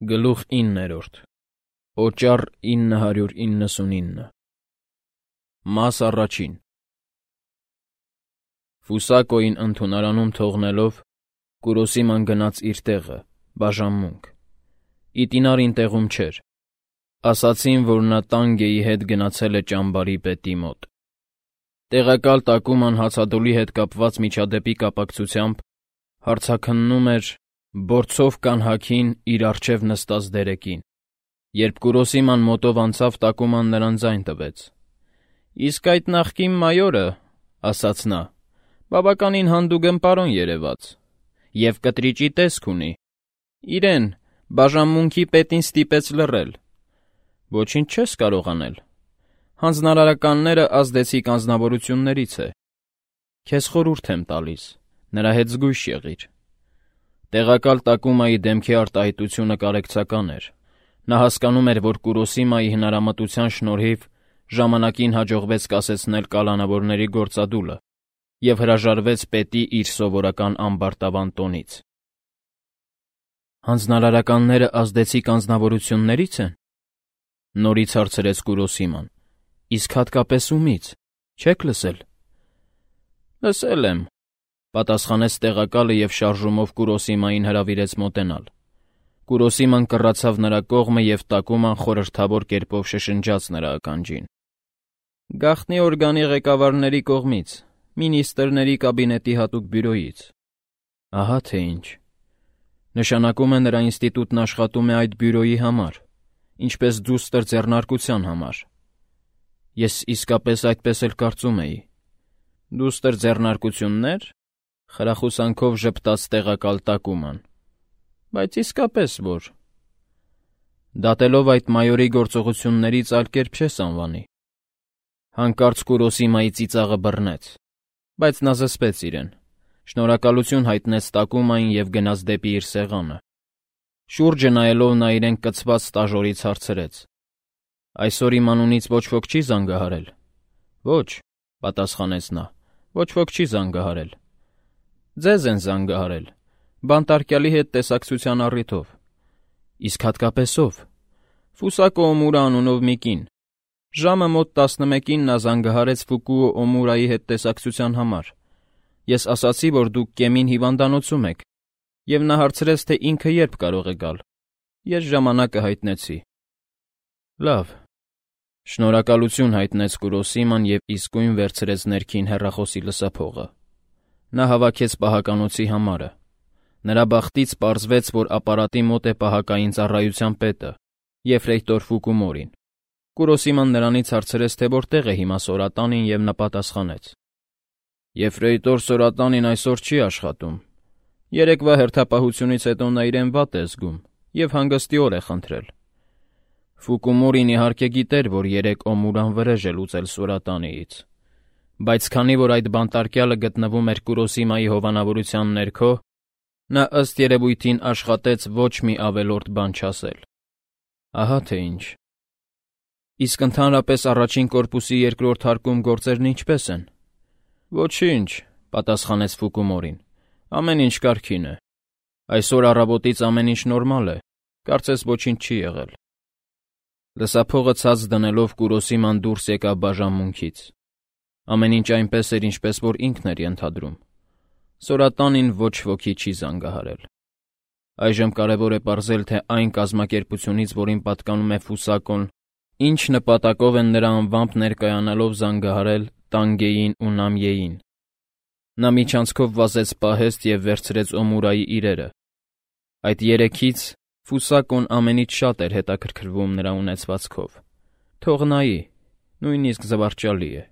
Գլուխ 9. Օճառ 999 Մաս առաջին Ֆուսակոյին ընդունարանում թողնելով, Կուրոսիման գնաց իր տեղը, բաժանմունք։ Իտինարին տեղում չէր։ Ասացին, որ նա Տանգեի հետ գնացել է ճամբարի պետի մոտ։ Տեղակալ Տակուման հացադուլի հետ կապված միջադեպի կապակցությամբ հարցաքննում էր բորձով կանհաքին իր առջև նստած դերեկին։ Երբ Կուրոսիման մոտով անցավ, Տակուման նրան ձայն տվեց։ «Իսկ այդ նախկին մայորը, — ասաց նա, — բավականին հանդուգն պարոն երևաց, և կտրիճի տեսք ունի։ Իրեն, բաժանմունքի պետին ստիպեց լռել։ Ոչինչ չես կարող անել։ Հանձնարարականները ազդեցիկ անձնավորություններից է։ Քեզ խորհուրդ եմ տալիս, նրա հետ զգույշ եղիր»։ Տեղակալ Տակումայի դեմքի արտահայտությունը կարեկցական էր։ Նա հասկանում էր, որ Կուրոսիմայի հնարամտության շնորհիվ ժամանակին հաջողվեց կասեցնել կալանավորների գործադուլը և հրաժարվեց պետի իր սովորական ամբարտավան տոնից։ «Հանձնարարականները ազդեցիկ անձնավորությունների՞ց են,» նորից հարցրեց Կուրոսիման։ «Իսկ հատկապես ումից, չեք լսել»։ «Լսել եմ,֊ պատասխանեց տեղակալը և շարժումով Կուրոսիմային հրավիրեց մոտենալ։ Կուրոսիման կռացավ նրա կողմը, և Տակուման խորհրդավոր կերպով շշնջաց նրա ականջին. «Գաղտնի օրգանի ղեկավարների կողմից, մինիստրների կաբինետի հատուկ բյուրոյից»։ Ահա թե ինչ։ Նշանակում է, նրա ինստիտուտն աշխատում է այդ բյուրոյի համար, ինչպես դուստր ձեռնարկության համար։ Ես իսկապես այդպես էլ կարծում էի։ Դուստր ձեռնարկություննե՞ր,֊ խրախուսանքով ժպտաց տեղակալ Տակուման։ Բայց իսկապես որ։ Դատելով այդ մայորի գործողություններից այլ կերպ չես անվանի։ Հանկարծ Կուրոսիմայի ծիծաղը բռնեց, բայց նա զսպեց իրեն, շնորհակալություն հայտնեց Տակումային և գնաց դեպի իր սեղանը։ Շուրջը նայելով նա իրեն կցված ստաժորից հարցրեց. «Այսօր իմ անունից ոչ ոք չի զանգահարել»։ «Ոչ,֊ պատասխանեց նա,֊ ոչ ոք չի զանգահարել»։ «Ձեզ են զանգահարել, բանտարկյալի հետ տեսակցության առիթով»։ «Իսկ հատկապես ով»։ «Ֆուսակո Օմուրա անունով մի կին։ Ժամը մոտ 11-ին նա զանգահարեց Ֆուկուո Օմուրայի հետ տեսակցության համար։ Ես ասացի, որ դուք Կեմին հիվանդանոցում եք, և նա հարցրեց, թե ինքը երբ կարող է գալ։ Ես ժամանակը հայտնեցի»։ «Լավ,֊ շնորհակալություն հայտնեց Կուրոսիման և իսկույն վերցրեց ներքին հեռախոսի լսափողը։ Նա հավաքեց պահականոցի համարը։ Նրա բախտից պարզվեց, որ ապարատի մոտ է պահակային ծառայության պետը, եֆրեյտոր Ֆուկումորին։ Կուրոսիման նրանից հարցրեց, թե որտեղ է հիմա Սորատանին, և նա պատասխանեց. «Եֆրեյտոր Սորատանին այսօր չի աշխատում։ Երեկվա հերթապահությունից հետո նա իրեն վատ է զգում և հանգստիոր է խնդրել»։ Ֆուկումորին իհարկե գիտեր, որ երեկ Օմուրան վրեժ է լուծել Սորատանիից, բայց քանի որ այդ բանտարկյալը գտնվում էր Կուրոսիմայի հովանավորության ներքո, նա ըստ երևույթին աշխատեց ոչ մի ավելորդ բան չասել։ Ահա թե ինչ։ «Իսկ ընդհանրապես առաջին կորպուսի երկրորդ հարկում գործերն ինչպե՞ս են»։ «Ոչինչ,֊ պատասխանեց Ֆուկումորին,֊ ամեն ինչ կարգին է։ Այսօր առավոտից ամեն ինչ նորմալ է, կարծես ոչինչ չի եղել»։ Լսափողը ցած դնելով Կուրոսիման դուրս եկավ բաժանմունքից։ Ամեն ինչ այնպես էր, ինչպես որ ինքն էր ենթադրում։ Սորատանին ոչ ոքի չի զանգահարել։ Այժմ կարևոր է պարզել, թե այն կազմակերպությունից, որին պատկանում է Ֆուսակոն, ինչ նպատակով են նրա անվամբ ներկայանալով զանգահարել Տանգեին ու Նամիեին։ Նա միջանցքով վազեց պահեստ և վերցրեց Օմուրայի իրերը։ Այդ երեքից Ֆուսակոն ամենից շատ էր հետաքրքրվում նրա ունեցվածքով։ Թող նայի, նույնիսկ զվարճալի է։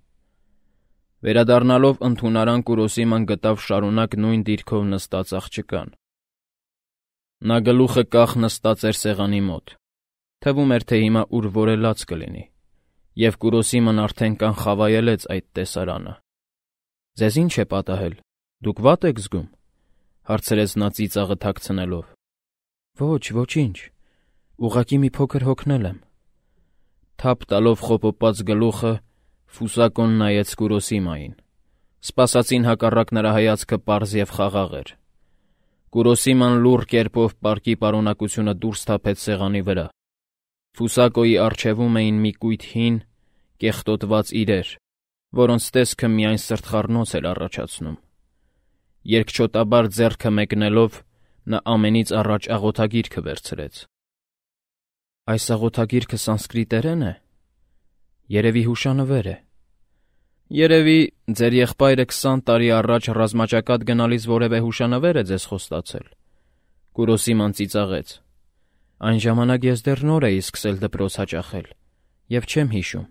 Վերադառնալով ընդունարան, Կուրոսիման գտավ շարունակ նույն դիրքով նստած աղջկան։ Նա գլուխը կախ նստած էր սեղանի մոտ։ Թվում էր, թե հիմա ուր-որ լաց կլինի, և Կուրոսիման արդեն կանխավայելեց այդ տեսարանը։ «Ձեզ ինչ է պատահել, դուք վատ եք զգում,֊ հարցրեց նա ծիծաղը թաքցնելով։ «Ոչ, ոչինչ, ուղղակի մի փոքր հոգնել եմ»։ Թափ տալով խոպոպած գլուխը, Ֆուսակոն նայեց Կուրոսիմային։ Սպասածին հակառակ նրա հայացքը պարզ և խաղաղ էր։ Կուրոսիման լուռ կերպով պարկի պարունակությունը դուրս թափեց սեղանի վրա։ Ֆուսակոյի առջևում էին մի կույտ հին, կեղտոտված իրեր, որոնց տեսքը միայն սրտխառնոց էր առաջացնում։ Երկչոտաբար ձեռքը մեկնելով, նա ամենից առաջ աղոթագիրքը վերցրեց։ Այս աղոթագիրքը սանսկրիտերեն է։ Երևի հուշանվեր է։ Երևի ձեր եղբայրը 20 տարի առաջ ռազմաճակատ գնալիս որևէ հուշանվեր է ձեզ խոստացել։ Կուրոսիման ծիծաղեց։ Այն ժամանակ ես դեռ նոր էի սկսել դպրոց հաճախել և չեմ հիշում,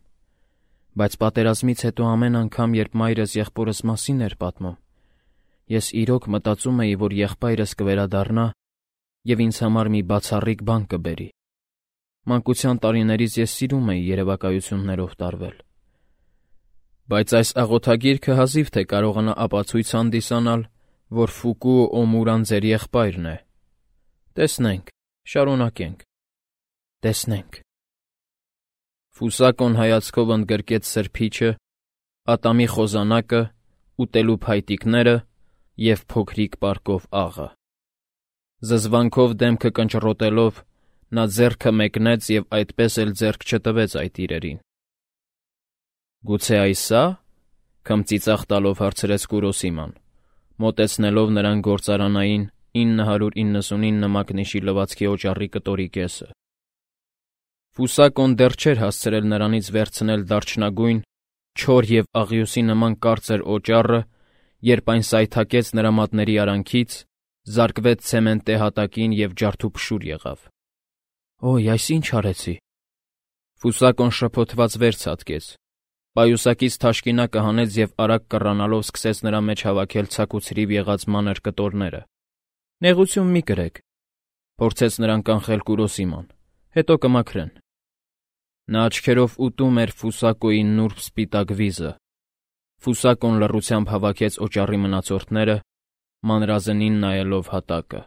բայց պատերազմից հետո ամեն անգամ, երբ մայրս եղբորս մասին էր պատմում, ես իրոք մտածում էի, որ եղբայրս կվերադառնա և ինձ համար մի բացառիկ բան կբերի։ Մանկության տարիներից ես սիրում էի երևակայություններով տարվել։ Բայց այս աղոթագիրքը հազիվ թե կարողանա ապացույց հանդիսանալ, որ Ֆուկուո Օմուրան ձեր եղբայրն է։ Տեսնենք, շարունակենք։ Տեսնենք։ Ֆուսակոն հայացքով ընդգրկեց սրբիչը, ատամի խոզանակը, ուտելու փայտիկները և փոքրիկ պարկով աղը։ Զզվանքով դեմքը կնճռոտելով, նա ձեռքը մեկնեց և այդպես էլ ձեռք չտվեց այդ իրերին։ Գուցե այս ա՞, քմծիծաղ տալով հարցրեց Կուրոսիման, մոտեցնելով նրան գործարանային 999 մակնիշի լվացքի օճառի կտորի կեսը։ Ֆուսակոն դեռ չէր հասցրել նրանից վերցնել դարչնագույն, չոր և աղյուսի նման կարծր օճառը, երբ այն սայթաքեց նրա մատների արանքից, զարկվեց ցեմենտե հատակին և ջարդուփշուր եղավ։ Ոյ, այս ինչ արեցի։ Ֆուսակոն շփոթված վեր ցատկեց։ Պայուսակից թաշկինակը հանեց և արագ կռանալով սկսեց նրա մեջ հավաքել ցաքուցրիվ եղած մանր կտորները։ Նեղություն մի կրեք, փորձեց նրան կանխել Կուրոսիման, հետո կմաքրեն։ Նա աչքերով ուտում էր Ֆուսակոյի նուրբ սպիտակ վիզը։ Ֆուսակոն լռությամբ հավաքեց օճառի մնացորդները, մանրազնին նայելով հատակը։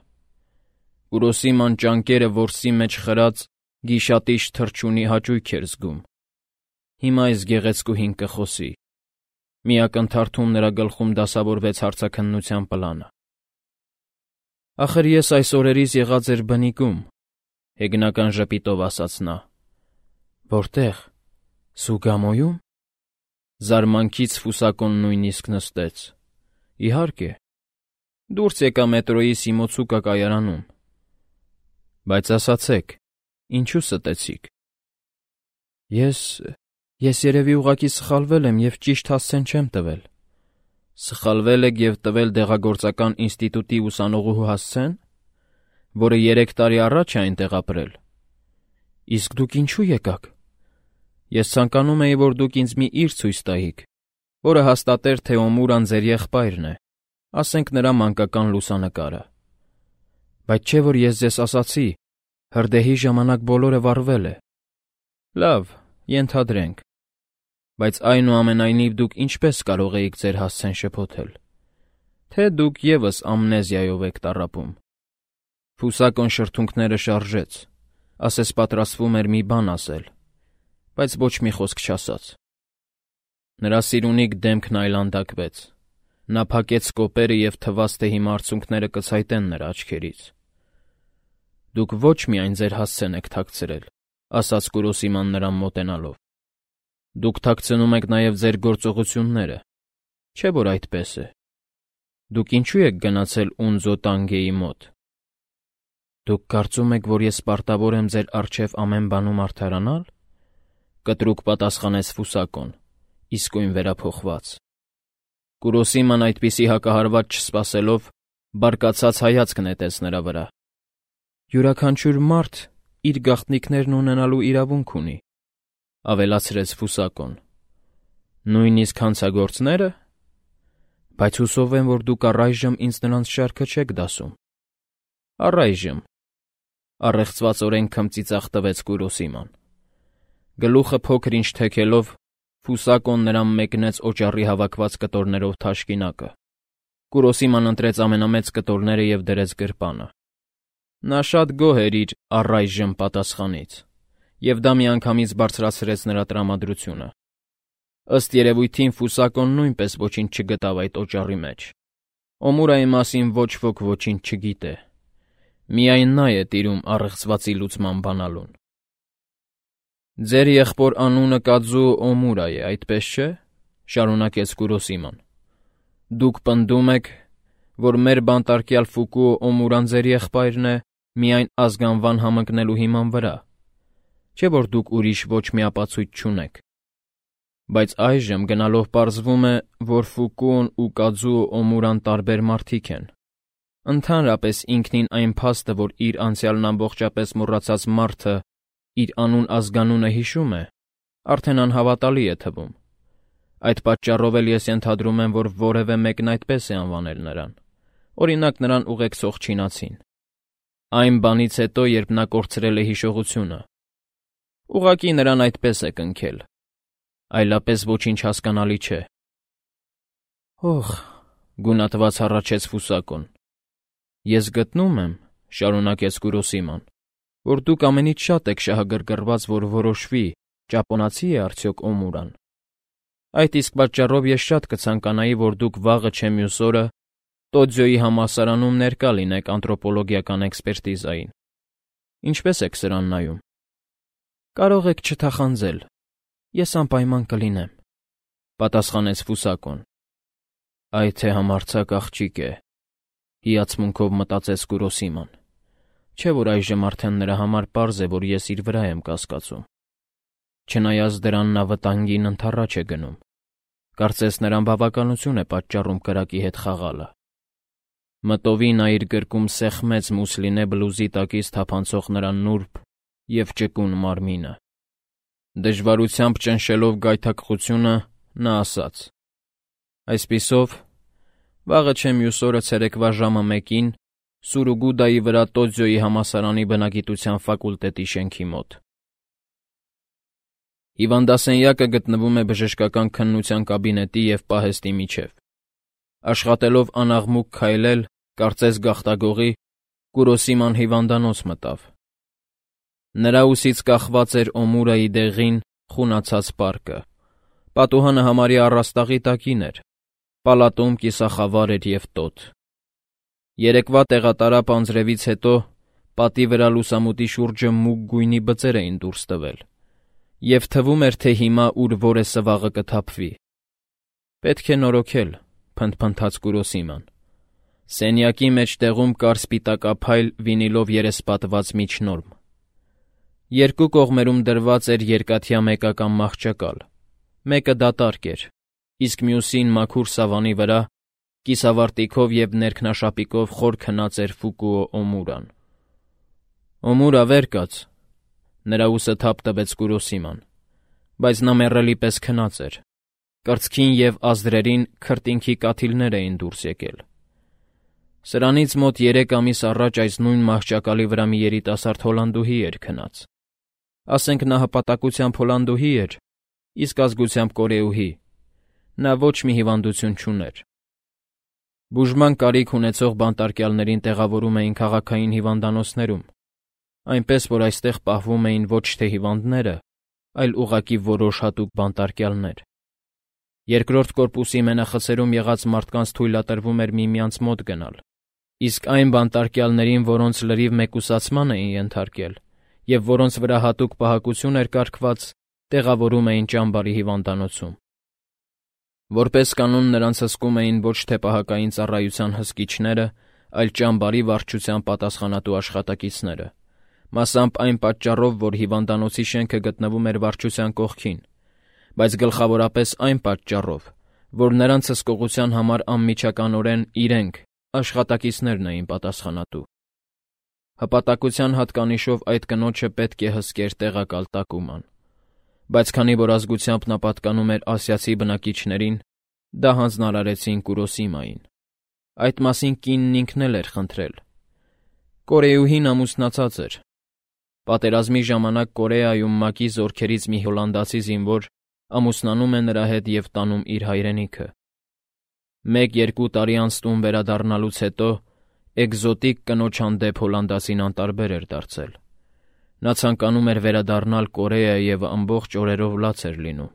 Կուրոսիման ճանկերը որսի մեջ խրած գիշատիչ թռչունի հաճույք էր զգում։ Հիմա այս գեղեցկուհին կխոսի։ Մի ակնթարթում նրա գլխում դասավորվեց հարցաքննության պլանը։ Ախր ես այս օրերիս եղած էր բնիկում, հեգնական ժպիտով ասաց նա։ Որտե՞ղ։ Սուգամոյում։ Զարմանքից Ֆուսակոն նույնիսկ նստեց։ Իհարկե։ Դուրս եկա մետրոյի Սիմոցուկա կայարանում։ Բայց ասացեք, ինչու ստեցիք։ Ես երևի ուղղակի սխալվել եմ և ճիշտ հասցեն չեմ տվել։ Սխալվել եք և տվել դեղագործական ինստիտուտի ուսանողուհու հասցեն, որը 3 տարի առաջ է այնտեղ ապրել։ Իսկ դուք ինչու եկաք։ Ես ցանկանում էի, որ դուք ինձ մի իր ցույց տայիք, որը հաստատեր, թե Օմուրան ձեր եղբայրն է, ասենք նրա մանկական լուսանկարը։ Բայց չէ՞ որ ես ձեզ ասացի, հրդեհի ժամանակ բոլորը վառվել է։ Լավ, ենթադրենք։ Բայց այնուամենայնիվ դուք ինչպես կարող էիք ձեր հասցեն շփոթել։ Թե դուք ևս ամնեզիայով եք տառապում։ Ֆուսակոն շրթունքները շարժեց, ասես պատրաստվում էր մի բան ասել, բայց ոչ մի խոսք չասաց։ Նրա սիրունիկ դեմքն այլանդակվեց։ Նա փակեց կոպերը և թվաց, թե հիմա արցունքները կցայտեն նրա աչքերից։ Դուք ոչ միայն ձեր հասցեն եք թաքցրել, ասաց Կուրոսիման նրան մոտենալով։ Դուք թաքցնում եք նաև ձեր գործողությունները, չէ՞ որ այդպես է։ Դուք ինչու եք գնացել Ունձո Տանգեի մոտ։ Դուք կարծում եք, որ ես պարտավոր եմ ձեր առջև ամեն բանում արդարանալ։ Կտրուկ պատասխանեց Ֆուսակոն, իսկույն վերափոխված։ Կուրոսիման այդպիսի հակահարված չսպասելով, բարկացած հայացք նետեց նրա վրա։ Յուրաքանչյուր մարդ իր գաղտնիքներն ունենալու իրավունք ունի, ավելացրեց Ֆուսակոն։ Նույնիսկ հանցագործները։ Բայց հուսով եմ, որ դուք առայժմ ինձ նրանց շարքը չեք դասում։ Առայժմ, առեղծվածորեն քմծիծաղ տվեց Կուրոսիման։ Գլուխը փոքր-ինչ թեքելով, Ֆուսակոն նրան մեկնեց օճառի հավաքված կտորներով թաշկինակը։ Կուրոսիման ընտրեց ամենամեծ կտորները և դրեց գրպանը։ Նա շատ գոհ էր իր առայժմ պատասխանից, և դա միանգամից բարձրացրեց նրա տրամադրությունը։ Ըստ երևույթին Ֆուսակոն նույնպես ոչինչ չգտավ այդ օճառի մեջ։ Օմուրայի մասին ոչ ոք ոչինչ չգիտե։ Միայն նա է տիրում առեղծվածի լուծման բանալուն։ Ձեր եղբոր անունը Կաձուո Օմուրա է, այդպես չէ՞, շարունակեց Կուրոսիման։ Դուք պնդում եք, որ մեր բանտարկյալ Ֆուկուո Օմուրան ձեր եղբայրն է միայն ազգանվան համընկնելու հիման վրա, չէ՞ որ դուք ուրիշ ոչ մի ապացույց չունեք։ Բայց այժմ գնալով պարզվում է, որ Ֆուկուոն ու Կաձուո Օմուրան տարբեր մարդիկ են։ Ընդհանրապես ինքնին այն փաստը, որ իր անցյալն ամբողջապես մոռացած մարդը իր անուն-ազգանունը հիշում է, արդեն անհավատալի է թվում։ Այդ պատճառով էլ ես ենթադրում եմ, որ որևէ մեկն այդպես է անվանել նրան, օրինակ նրան ուղեկցող չինացին։ Այն բանից հետո, երբ նա կորցրել է հիշողությունը, ուղղակի նրան այդպես է կնքել, այլապես ոչինչ հասկանալի չէ։ Օհ, գունատված հառաչեց Ֆուսակոն։ Ես գտնում եմ, շարունակեց Կուրոսիման, որ դուք ամենից շատ եք շահագրգռված, որ որոշվի, ճապոնացի է արդյոք Օմուրան։ Այդ իսկ պատճառով ես շատ կցանկանայի, որ դուք վաղը չէ մյուս օրը Տոձյոյի համալսարանում ներկա լինեք անթրոպոլոգիական էքսպերտիզային։ Ինչպես եք սրան նայում։ Կարող եք չթախանձել, ես անպայման կլինեմ, պատասխանեց Ֆուսակոն։ Այ թե համարձակ աղջիկ է, հիացմունքով մտածեց Կուրոսիման։ Չէ՞ որ այժմ արդեն նրա համար պարզ է, որ ես իր վրա եմ կասկածում։ Չնայած դրան նա վտանգին ընդառաջ է գնում։ Կարծես նրան բավականություն է պատճառում կրակի հետ խաղալը։ Մտովի նա իր գրկում սեղմեց մուսլինե բլուզի տակից թափանցող նրա նուրբ և ճկուն մարմինը։ Դժվարությամբ ճնշելով գայթակղությունը, նա ասաց. Այսպիսով, վաղը չէ մյուս օրը ցերեկվա ժամը 1-ին Սուրուգուդայի վրա Տոձյոյի համալսարանի բնագիտության ֆակուլտետի շենքի մոտ։ Հիվանդասենյակը գտնվում է բժշկական քննության կաբինետի և պահեստի միջև։ Աշխատելով անաղմուկ քայլել, կարծես գաղտագողի, Կուրոսիման հիվանդանոց մտավ։ Նրա ուսից կախված էր Օմուրայի դեղին, խունացած պարկը։ Պատուհանը համարյա առաստաղի տակին էր, պալատում կիսախավար էր և տոտ։ Երեկվա տեղատարապ անձրևից հետո պատի վրա լուսամուտի շուրջը մուգ գույնի բծեր էին դուրս տվել, և թվում էր, թե հիմա ուր որ է սվաղը կթափվի։ Պետք է նորոգել, փնթփնթաց Կուրոսիման։ Սենյակի մեջտեղում կար սպիտակափայլ վինիլով երեսպատված միջնորմ։ Երկու կողմերում դրված էր երկաթյա մեկական մահճակալ, մեկը դատարկ էր, իսկ մյուսին մաքուր սավանի վրա կիսավարտիքով և ներքնաշապիկով խոր քնած էր Ֆուկուո Օմուրան։ Օմուրա, վեր կաց, նրա ուսը թափ տվեց Կուրոսիման, բայց նա մեռելի պես քնած էր։ Կրծքին և ազդրերին քրտինքի կաթիլներ էին դուրս եկել։ Սրանից մոտ 3 ամիս առաջ այս նույն մահճակալի վրա մի երիտասարդ հոլանդուհի էր քնած։ Ասենք նա հպատակությամբ հոլանդուհի էր, իսկ ազգությամբ կորեուհի։ Նա ոչ մի հիվանդություն չուներ։ Բուժման կարիք ունեցող բանտարկյալներին տեղավորում էին քաղաքային հիվանդանոցներում, այնպես որ այստեղ պահվում էին ոչ թե հիվանդները, այլ ուղղակի որոշ հատուկ բանտարկյալներ։ Երկրորդ կորպուսի մենախցերում եղած մարդկանց թույլատրվում էր միմյանց մոտ գնալ, իսկ այն բանտարկյալներին, որոնց լրիվ մեկուսացման էին ենթարկել, և որոնց վրա հատուկ պահակություն էր կարգված, տեղավորում էին ճամբարի հիվանդանոցում։ Որպես կանոն նրանց հսկում էին ոչ թե պահակային ծառայության հսկիչները, այլ ճամբարի վարչության պատասխանատու աշխատակիցները, մասամբ այն պատճառով, որ հիվանդանոցի շենքը գտնվում էր վարչության կողքին, բայց գլխավորապես այն պատճառով, որ նրանց հսկողության համար անմիջականորեն իրենք, աշխատակիցներն էին պատասխանատու։ Հպատակության հատկանիշով այդ կնոջը պետք է հսկեր տեղակալ տակուման, բայց քանի որ ազգությամբ նա պատկանում էր ասիացի բնակիչներին, դա հանձնարարեցին Կուրոսիմային։ Այդ մասին կինն ինքն էլ էր խնդրել։ Կորեուհին ամուսնացած էր։ Պատերազմի ժամանակ Կորեայում ՄԱԿ-ի զորքերից մի հոլանդացի զինվոր ամուսնանում է նրա հետ և տանում իր հայրենիքը։ 1-2 տարի անց տուն վերադառնալուց հետո էկզոտիկ կնոջ հանդեպ հոլանդացին անտարբեր էր դարձել։ Նա ցանկանում էր վերադառնալ Կորեա և ամբողջ օրերով լաց էր լինում։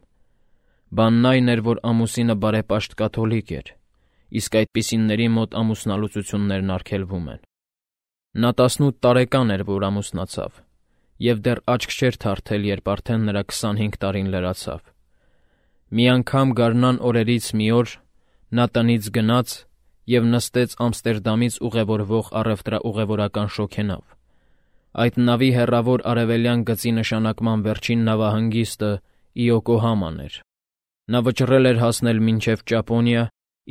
Բանն այն էր, որ ամուսինը բարեպաշտ կաթոլիկ էր, իսկ այդպիսինների մոտ ամուսնալուծություններն արգելվում են։ Նա 18 տարեկան էր, որ ամուսնացավ, և դեռ աչք չէր թարթել, երբ արդեն նրա 25 տարին լրացավ։ Մի անգամ գարնան օրերից մի օր նա տնից գնաց և նստեց Ամստերդամից ուղևորվող առևտրաուղևորական շոգենավ։ Այդ նավի հեռավոր արևելյան գծի նշանակման վերջին նավահանգիստը Իոկոհաման էր։ Նա վճռել էր հասնել մինչև Ճապոնիա,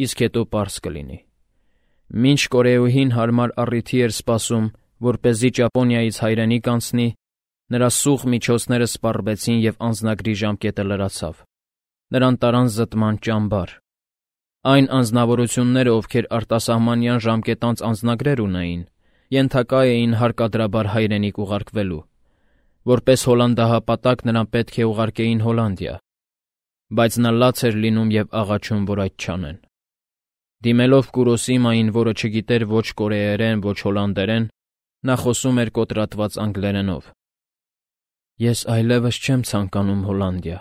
իսկ հետո պարզ կլինի։ Մինչ կորեուհին հարմար առիթի էր սպասում, որպեսզի Ճապոնիայից հայրենիք անցնի, նրա սուղ միջոցները սպառվեցին և անձնագրի ժամկետը լրացավ։ Նրան տարան զտման ճամբար։ Այն անձնավորությունները, ովքեր արտասահմանյան ժամկետանց անձնագրեր ունեին, ենթակա էին հարկադրաբար հայրենիք ուղարկվելու։ Որպես հոլանդահապատակ նրան պետք է ուղարկեին Հոլանդիա, բայց նա լաց էր լինում և աղաչում, որ այդ չանեն։ Դիմելով Կուրոսիմային, որը չգիտեր ոչ կորեերեն, ոչ հոլանդերեն, նա խոսում էր կոտրատված անգլերենով։ «Ես այլևս չեմ ցանկանում Հոլանդիա,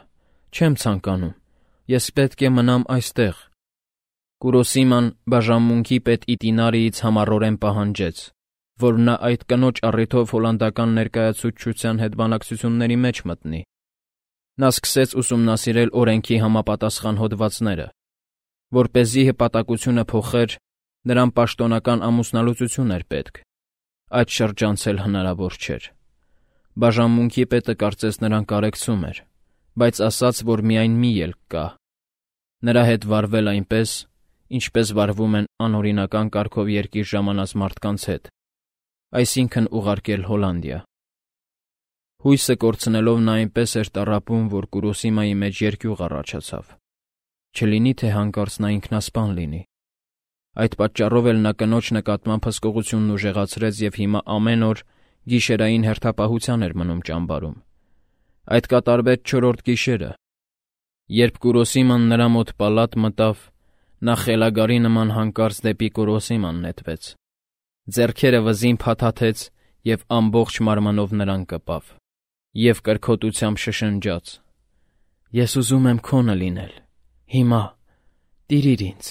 չեմ ցանկանում, ես պետք է մնամ այստեղ», Կուրոսիման բաժանմունքի պետ Իտինարիից համառորեն պահանջեց, որ նա այդ կնոջ առիթով հոլանդական ներկայացուցչության հետ բանակցությունների մեջ մտնի։ Նա սկսեց ուսումնասիրել օրենքի համապատասխան հոդվածները։ Որպեսզի հպատակությունը փոխեր, նրան պաշտոնական ամուսնալուծություն էր պետք։ Այդ շրջանցել հնարավոր չէր։ Բաժանմունքի պետը կարծես նրան կարեկցում էր, բայց ասաց, որ միայն մի ելք կա։ Նրա հետ վարվել այնպես, ինչպես վարվում են անօրինական կարգով երկիր ժամանած մարդկանց հետ, այսինքն ուղարկել Հոլանդիա։ Հույսը կորցնելով նա այնպես էր տառապում, որ Կուրոսիմայի մեջ երկյուղ առաջացավ։ Չլինի թե հանկարծ նա ինքնասպան լինի։ Այդ պատճառով էլ նա կնոջ նկատմամբ հսկողությունն ուժեղացրեց և հիմա ամեն օր գիշերային հերթապահության էր մնում ճամբարում։ Այդ կատարվեց 4-րդ գիշերը։ Երբ Կուրոսիման նրա մոտ պալատ մտավ, նա խելագարի նման հանկարծ դեպի Կուրոսիման նետվեց։ Ձեռքերը վզին փաթաթեց և ամբողջ մարմնով նրան կպավ, և կրքոտությամբ շշնջաց. «Ես ուզում եմ քոնը լինել, հիմա, տիրիր ինձ»։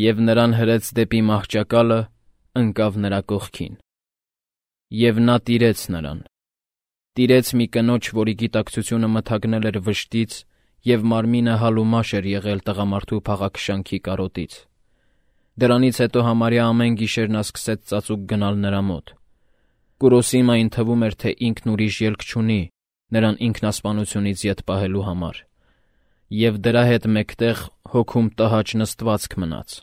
Եվ նրան հրեց դեպի մահճակալը, ընկավ նրա կողքին։ Եվ նա տիրեց նրան։ Տիրեց մի կնոջ, որի գիտակցությունը մթագնել էր վշտից, և մարմինը հալումաշ էր եղել տղամարդու փաղաքշանքի կարոտից։ Դրանից հետո համարյա ամեն գիշեր նա սկսեց ծածուկ գնալ նրա մոտ։ Կուրոսիմային թվում էր, թե ինքն ուրիշ ելք չունի նրան ինքնասպանությունից ետ պահելու համար, և դրա հետ մեկտեղ հոգում տհաճ նստվածք մնաց։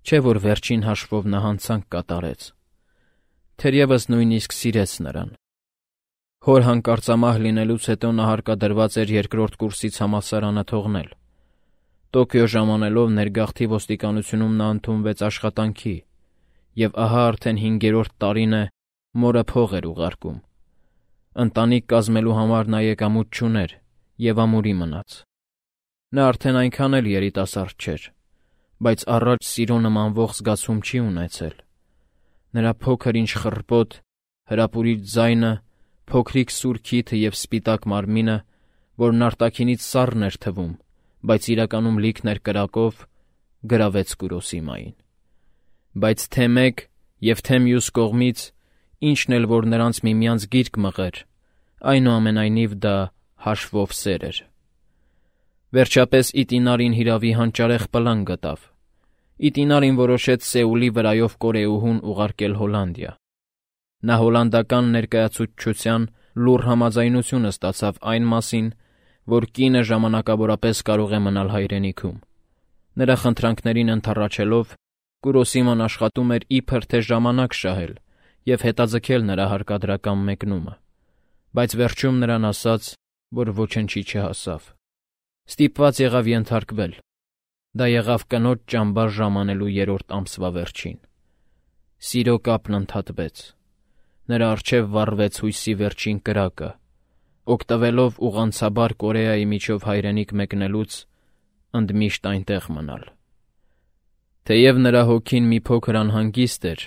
Չէ՞ որ վերջին հաշվով նա հանցանք կատարեց։ Թերևս նույնիսկ սիրեց նրան։ Հոր հանկարծամահ լինելուց հետո նա հարկադրված էր 2-րդ կուրսից համալսարանը թողնել։ Տոկիո ժամանելով ներգաղթի ոստիկանությունում նա ընդունվեց աշխատանքի, և ահա արդեն 5-րդ տարին է մորը փող էր ուղարկում։ Ընտանիք կազմելու համար նա եկամուտ չուներ և ամուրի մնաց։ Նա արդեն այնքան էլ երիտասարդ չէր, բայց առաջ սիրո նմանվող զգացում չի ունեցել։ Նրա փոքր-ինչ խռպոտ, հրապուրիչ ձայնը, փոքրիկ սուր քիթը և սպիտակ մարմինը, որն արտաքինից սառն էր թվում, բայց իրականում լիքն էր կրակով, գրավեց Կուրոսիմային։ Բայց թե մեկ և թե մյուս կողմից, ինչն էլ որ նրանց միմյանց գիրկ մղեր, այնուամենայնիվ դա հաշվով սեր էր։ Վերջապես Իտինարին հիրավի հանճարեղ պլան գտավ։ Իտինարին որոշեց Սեուլի վրայով կորեուհուն ուղարկել Հոլանդիա։ Նա հոլանդական ներկայացուցչության լուռ համաձայնությունը ստացավ այն մասին, որ կինը ժամանակավորապես կարող է մնալ հայրենիքում։ Նրա խնդրանքներին ընդառաջելով, Կուրոսիման աշխատում էր իբր թե ժամանակ շահել և հետաձգել նրա հարկադրական մեկնումը, բայց վերջում նրան ասաց, որ ոչնչի չհասավ։ Ստիպված եղավ ենթարկվել։ Դա եղավ կնոջ ճամբար ժամանելու 3-րդ ամսվա վերջին։ Սիրո կապն ընդհատվեց։ Նրա առջև վառվեց հույսի վերջին կրակը։ Օգտվելով ուղղանցաբար Կորեայի միջով հայրենիք մեկնելուց, ընդմիշտ այնտեղ մնալ։ Թեև նրա հոգին մի փոքր անհանգիստ էր,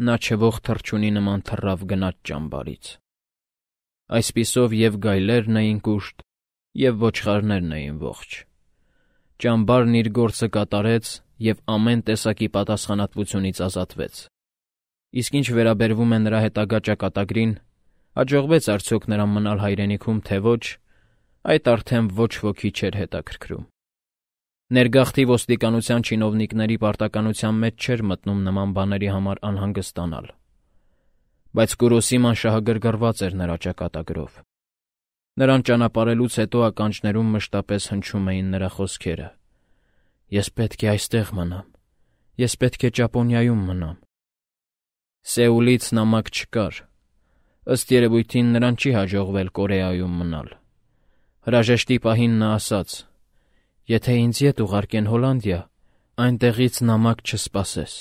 նա չվող թռչունի նման թռավ գնաց ճամբարից։ Այսպիսով և գայլերն էին կուշտ, և ոչխարներն էին ողջ։ Ճամբարն իր գործը կատարեց և ամեն տեսակի պատասխանատվությունից ազատվեց։ Իսկ ինչ վերաբերվում է նրա հետագա ճակատագրին, հաջողվեց արդյոք նրան մնալ հայրենիքում, թե ոչ, այդ արդեն ոչ ոքի չէր հետաքրքրում։ Ներգաղթի ոստիկանության չինովնիկների պարտականության մեջ չէր մտնում նման բաների համար անհանգստանալ, բայց Կուրոսիման շահագրգռված էր նրա ճակատագրով։ Նրան ճանապարհելուց հետո ականջներում մշտապես հնչում էին նրա խոսքերը. «Ես պետք է այստեղ մնամ, ես պետք է Ճապոնիայում մնամ»։ Սեուլից նամակ չկար։ Ըստ երևույթին նրան չի հաջողվել Կորեայում մնալ։ Հրաժեշտի պահին նա ասաց. «Եթե ինձ ետ ուղարկեն Հոլանդիա, այնտեղից նամակ չսպասես»։